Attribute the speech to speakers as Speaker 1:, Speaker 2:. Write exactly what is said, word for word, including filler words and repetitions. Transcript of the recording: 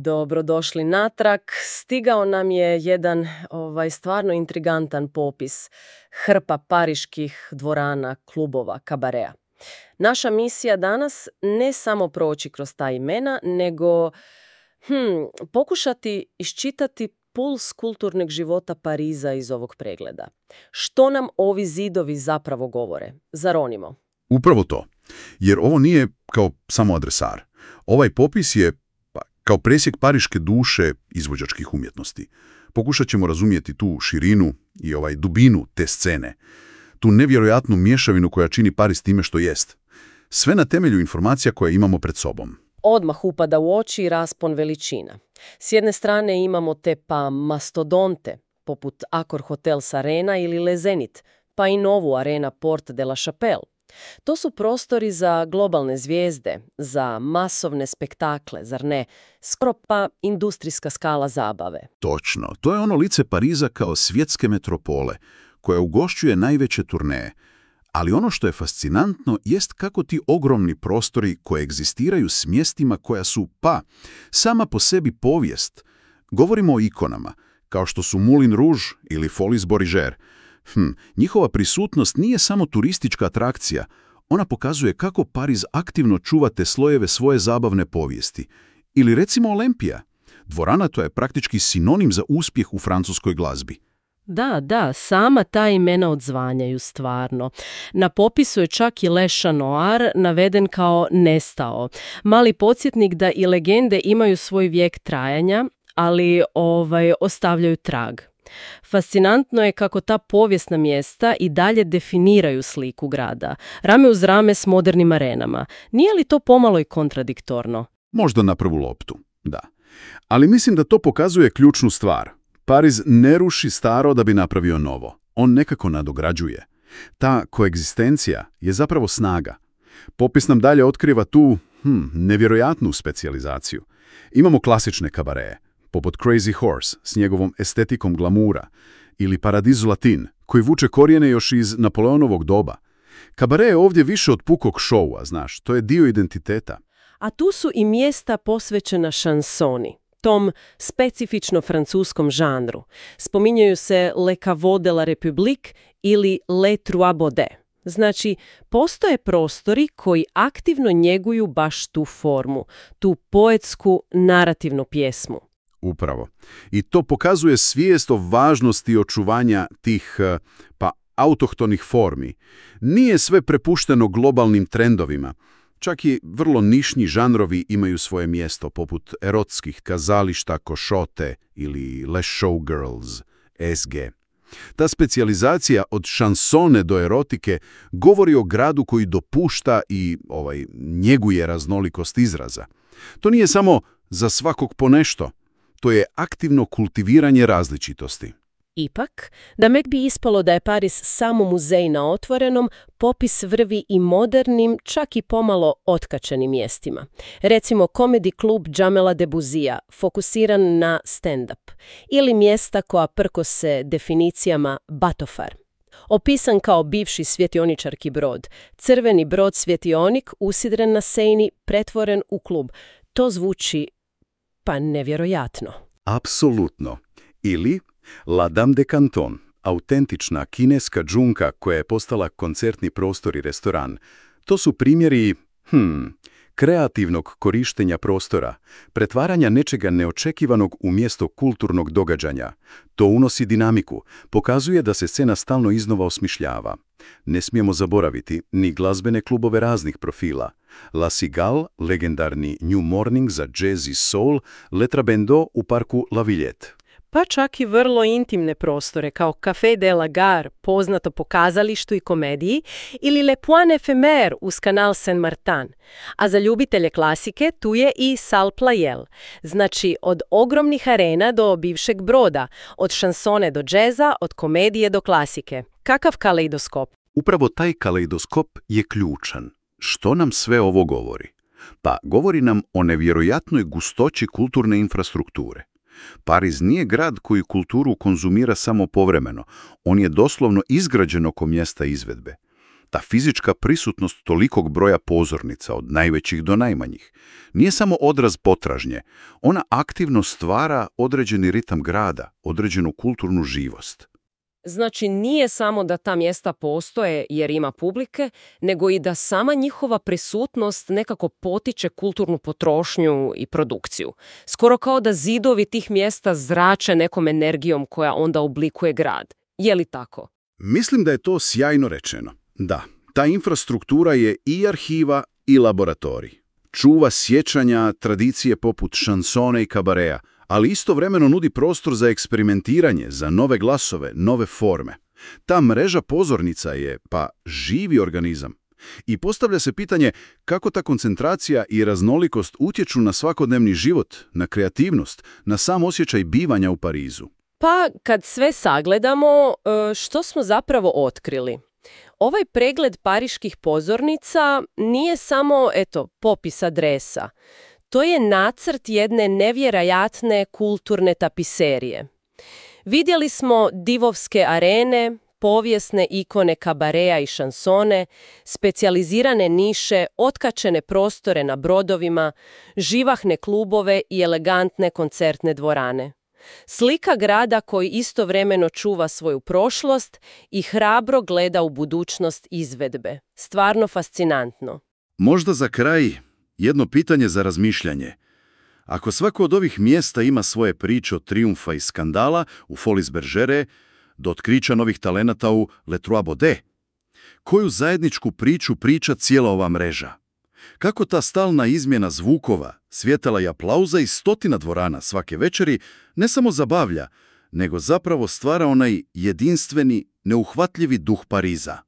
Speaker 1: Dobrodošli natrag. Stigao nam je jedan ovaj, stvarno intrigantan popis hrpa pariških dvorana, klubova, kabareja. Naša misija danas ne samo proći kroz ta imena, nego hm, pokušati iščitati puls kulturnog života Pariza iz ovog pregleda. Što nam ovi zidovi zapravo govore? Zaronimo.
Speaker 2: Upravo to. Jer ovo nije kao samo adresar. Ovaj popis je kao presjek pariške duše izvođačkih umjetnosti. Pokušat ćemo razumjeti tu širinu i ovaj dubinu te scene, tu nevjerojatnu mješavinu koja čini Pariz time što jest. Sve na temelju informacija koje imamo pred sobom.
Speaker 1: Odmah upada u oči raspon veličina. S jedne strane imamo te pa mastodonte, poput Accor Hotels Arena ili Le Zénith, pa i novu Arena Porte de la Chapelle. To su prostori za globalne zvijezde, za masovne spektakle, zar ne? Skoro pa industrijska skala zabave.
Speaker 2: Točno. To je ono lice Pariza kao svjetske metropole, koja ugošćuje najveće turneje. Ali ono što je fascinantno jest kako ti ogromni prostori koegzistiraju s mjestima koja su, pa, sama po sebi povijest. Govorimo o ikonama, kao što su Moulin Rouge ili Folies Bergère. Hm, njihova prisutnost nije samo turistička atrakcija, ona pokazuje kako Pariz aktivno čuva te slojeve svoje zabavne povijesti. Ili recimo Olimpija. Dvorana to je praktički sinonim za uspjeh u francuskoj glazbi.
Speaker 1: Da, da, sama ta imena odzvanjaju stvarno. Na popisu je čak i Le Chat Noir naveden kao nestao. Mali podsjetnik da i legende imaju svoj vijek trajanja, ali ovaj, ostavljaju trag. Fascinantno je kako ta povijesna mjesta i dalje definiraju sliku grada, rame uz rame s modernim arenama. Nije li to pomalo i kontradiktorno?
Speaker 2: Možda na prvu loptu, da. Ali mislim da to pokazuje ključnu stvar. Pariz ne ruši staro da bi napravio novo. On nekako nadograđuje. Ta koegzistencija je zapravo snaga. Popis nam dalje otkriva tu hm, nevjerojatnu specijalizaciju. Imamo klasične kabareje, poput Crazy Horse s njegovom estetikom glamura, ili Paradiso Latin, koji vuče korijene još iz Napoleonovog doba. Kabare je ovdje više od pukog šoua, znaš, to je dio identiteta.
Speaker 1: A tu su i mjesta posvećena šansoni, tom specifično francuskom žanru. Spominjaju se Le Caveau de la République ili Les Trois Baudets. Znači, postoje prostori koji aktivno njeguju baš tu formu, tu poetsku narativnu pjesmu.
Speaker 2: Upravo. I to pokazuje svijest o važnosti očuvanja tih, pa, autohtonih formi. Nije sve prepušteno globalnim trendovima. Čak i vrlo nišni žanrovi imaju svoje mjesto, poput erotskih kazališta Košote ili Les Showgirls, S G. Ta specijalizacija od šansone do erotike govori o gradu koji dopušta i ovaj, njeguje raznolikost izraza. To nije samo za svakog po nešto. To je aktivno kultiviranje različitosti.
Speaker 1: Ipak, da mek bi ispalo da je Pariz samo muzej na otvorenom, popis vrvi i modernim, čak i pomalo otkačenim mjestima. Recimo Comedy klub Jamela Debussyja, fokusiran na stand-up, ili mjesta koja prkose definicijama batofar. Opisan kao bivši svjetioničarki brod, crveni brod svjetionik usidren na Seini, pretvoren u klub. To zvuči pa nevjerojatno.
Speaker 2: Apsolutno. Ili La Dame de Canton, autentična kineska džunka koja je postala koncertni prostor i restoran. To su primjeri hm, kreativnog korištenja prostora, pretvaranja nečega neočekivanog u mjesto kulturnog događanja. To unosi dinamiku, pokazuje da se scena stalno iznova osmišljava. Ne smijemo zaboraviti ni glazbene klubove raznih profila. La Cigale, legendarni New Morning za jazz i soul, Le Trabendo u parku La Villette.
Speaker 1: Pa čak i vrlo intimne prostore kao Café de la Gare, poznato po kazalištu i komediji, ili Le Point Éphémère uz kanal Saint-Martin. A za ljubitelje klasike tu je i Salle Pleyel. Znači od ogromnih arena do bivšeg broda, od šansone do džeza, od komedije do klasike. Kakav kaleidoskop?
Speaker 2: Upravo taj kaleidoskop je ključan. Što nam sve ovo govori? Pa govori nam o nevjerojatnoj gustoći kulturne infrastrukture. Pariz nije grad koji kulturu konzumira samo povremeno, on je doslovno izgrađen oko mjesta izvedbe. Ta fizička prisutnost tolikog broja pozornica, od najvećih do najmanjih, nije samo odraz potražnje, ona aktivno stvara određeni ritam grada, određenu kulturnu živost.
Speaker 1: Znači, nije samo da ta mjesta postoje jer ima publike, nego i da sama njihova prisutnost nekako potiče kulturnu potrošnju i produkciju. Skoro kao da zidovi tih mjesta zrače nekom energijom koja onda oblikuje grad. Je li tako?
Speaker 2: Mislim da je to sjajno rečeno. Da, ta infrastruktura je i arhiva i laboratorij. Čuva sjećanja, tradicije poput šansone i kabareja, ali istovremeno nudi prostor za eksperimentiranje, za nove glasove, nove forme. Ta mreža pozornica je, pa, živi organizam. I postavlja se pitanje kako ta koncentracija i raznolikost utječu na svakodnevni život, na kreativnost, na sam osjećaj bivanja u Parizu.
Speaker 1: Pa, kad sve sagledamo, što smo zapravo otkrili? Ovaj pregled pariških pozornica nije samo, eto, popis adresa. To je nacrt jedne nevjerojatne kulturne tapiserije. Vidjeli smo divovske arene, povijesne ikone kabareja i šansone, specijalizirane niše, otkačene prostore na brodovima, živahne klubove i elegantne koncertne dvorane. Slika grada koji istovremeno čuva svoju prošlost i hrabro gleda u budućnost izvedbe. Stvarno fascinantno.
Speaker 2: Možda za kraj jedno pitanje za razmišljanje. Ako svako od ovih mjesta ima svoje priče od trijumfa i skandala u Folies Bergère do otkrića novih talenata u Les Trois Baudets, koju zajedničku priču priča cijela ova mreža? Kako ta stalna izmjena zvukova, svjetala i aplauza i stotina dvorana svake večeri ne samo zabavlja, nego zapravo stvara onaj jedinstveni, neuhvatljivi duh Pariza?